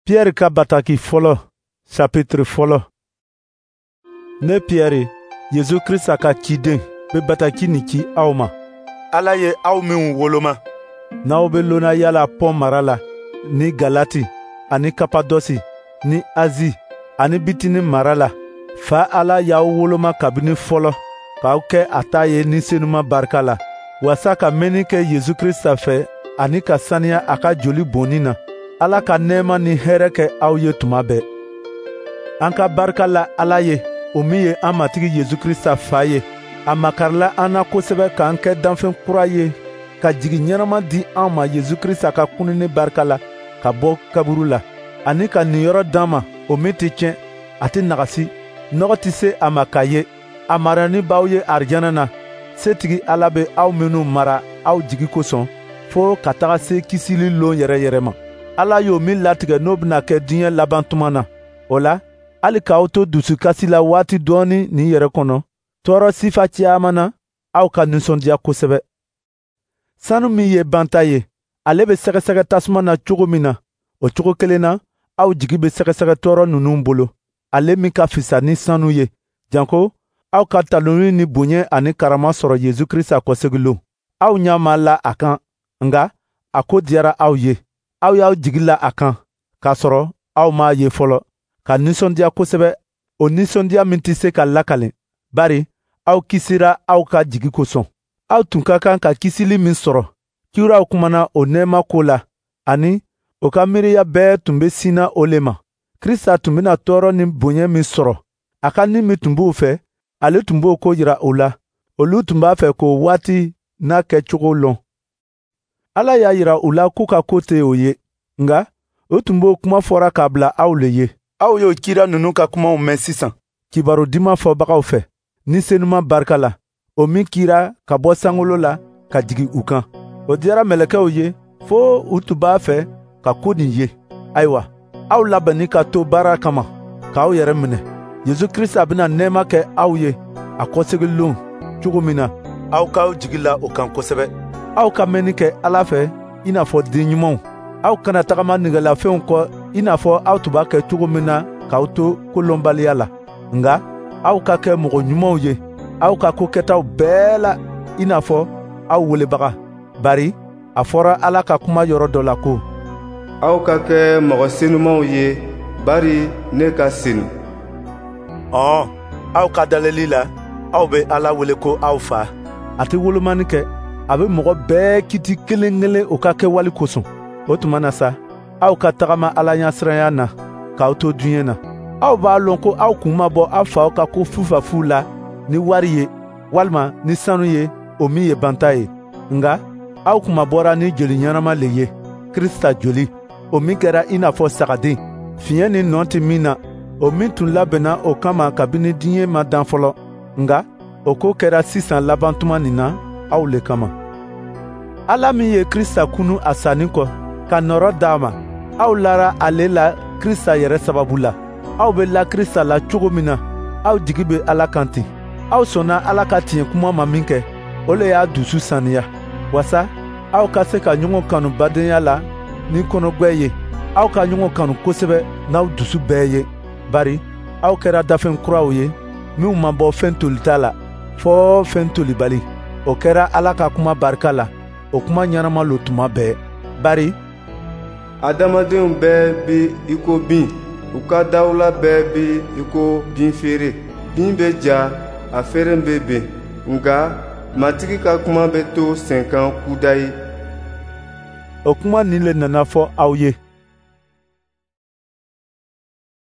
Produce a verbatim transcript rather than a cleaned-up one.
Piyɛri ka bataki fɔlɔ, chapitre fɔlɔ. Ne Piyɛri, Yesu Krista ka ciden, be bataki nin ci aw ma. Ala ye aw minw woloma, n'aw be lonnaya la Pɔn mara la, ni Galati, ani Kapadɔsi, ni Azi, ani Bitini mara la, Fa Ala y'aw woloma kabini fɔlɔ, k'aw kɛ a ta ye Ni Senuma barika la, waasa ka mɛnni kɛ Yesu Krista fɛ ani ka saniya a ka joli bɔnni na. Ala ka nɛɛma ni hɛrɛ kɛ aw ye tuma bɛɛ. An ka barika la Ala ye, o min ye an Matigi Yesu Krista Fa ye. A makarila an na kosɛbɛ k'an kɛ danfɛn kura ye, ka jigi ɲɛnama di an ma Yesu Krista ka kununni barika la ka bɔ kaburu la, ani ka niyɔrɔ d'an ma, o min tɛ tiɲɛ, a tɛ nagasi, nɔgɔ tɛ se a ma ka ye. A marani b'aw ye arijana na. Setigi Ala bɛ aw minnu mara aw jigi kosɔn, fo ka taga se kisili lon yɛrɛ yɛrɛ ma. Ala y'o min latigɛ n'o bɛna kɛ diɲɛ laban tuma na. O la, hali k'aw to dusukasi la waati dɔɔni nin yɛrɛ kɔnɔ, tɔɔrɔ sifa caman na, aw ka nisɔndiya kosɛbɛ. Sanu min ye banta ye, ale bɛ sɛgɛsɛgɛ tasuma na cogo min na, o cogo kelen na, aw jigi bɛ sɛgɛsɛgɛ tɔɔrɔ ninnu bolo, ale min ka fisa ni sanu ye, janko aw ka taloni ni bonya ani karama sɔrɔ Yesu Krista kɔsegin Aw ɲɛ ma la a kan, nka a ko diyara aw ye. Aw y'aw jigi la a kan, k'a sɔrɔ aw m'a ye fɔlɔ, ka nisɔndiya kosɛbɛ, o nisɔndiya min tɛ se ka lakale, bari aw kisira aw ka jigi kosɔn. Aw tun ka kan ka kisili min sɔrɔ, kiraw kumana o nɛɛma ko la, ani o ka miiriya bɛɛ tun bɛ sinna o le ma. Krista tun bɛna tɔɔrɔ ni bonya min sɔrɔ, a ka ni min tun b'o fɛ, ale tun b'o ko jira u la. Olu tun b'a fɛ k'o waati n'a kɛcogo lɔn. Ala y'a yira u la k'u ka ko tɛ o ye, nka o tun b'o kuma fɔra k'a bila aw le ye. Aw y'o kira ninnu ka kumaw mɛn sisan kibaru diman fɔbagaw fɛ, Ni Senuma barika la, o min kira ka bɔ sankolo la ka jigin u kan. O diyara mɛlɛkɛw ye fo u tun b'a fɛ ka ko nin ye. Ayiwa, aw labɛnni ka to baara kama, k'aw yɛrɛ minɛ. Yesu Krista bɛna nɛɛma kɛ aw ye a kɔsegin lon cogo min na, aw k'aw jigi la o kan kosɛbɛ. Aw ka mɛnni kɛ Ala fɛ i n'a fɔ den ɲumanw. Aw kana tagama nɛgɛlafɛnw kɔ i n'a fɔ aw tun b'a kɛ cogo min na k'aw to kolɔnbaliya la. Nka aw ka kɛ mɔgɔ ɲumanw ye aw ka ko kɛtaw bɛɛ la i n'a fɔ aw welebaga. Bari a fɔra Ala ka kuma yɔrɔ dɔ la ko: Aw ka kɛ mɔgɔ senumaw ye, bari ne ka senu. Ɔɔ, aw ka daleli la, aw bɛ Ala wele ko aw fa. A tɛ wolomani kɛ, a bɛ mɔgɔ bɛɛ kiti kelen kelen o ka kɛwale kosɔn. O tuma na sa, aw ka tagama Ala ɲɛsiranya na, k'aw to diɲɛ na. Aw b'a lɔn ko aw kun ma bɔ aw faw ka ko fufafu la ni wari ye, walima ni sanu ye, o min ye banta ye. Nka aw kunma bɔra ni joli ɲɛnama le ye, Krista joli, o min kɛra i n'a fɔ sagaden, fiɲɛ ni nɔ tɛ min na, o min tun labɛnna o kama kabini diɲɛ ma dan fɔlɔ. Nka o ko kɛra sisan laban tuma nin na aw le kama. Ala min ye Krista kunu a sanni kɔ, ka nɔrɔ d'a ma, aw lara ale la Krista yɛrɛ sababu la. Aw bɛ la Krista la cogo min na, aw jigi bɛ Ala kan ten. Aw sɔnna Ala ka tiɲɛ kuma ma min kɛ, o le y'a dusu saniya, wasa aw ka se ka ɲɔgɔn kanu badenya la ni kɔnɔgbɛ ye. Aw ka ɲɔgɔn kanu kosɛbɛ n'aw dusu bɛɛ ye, bari aw kɛra dafɛn kuraw ye minw ma bɔ fɛn tolita la, fɔɔ fɛn tolibali. O kɛra Ala ka kuma barika la, o kuma ɲɛnama lo tuma bɛɛ. Bari Adamadenw bɛɛ bɛ i ko bin, u ka dawula bɛɛ bɛ i ko binfeere. Bin bɛ ja, a feere bɛ ben, nka Matigi ka kuma bɛ to senkan kudayi. O kuma nin le nana fɔ aw ye.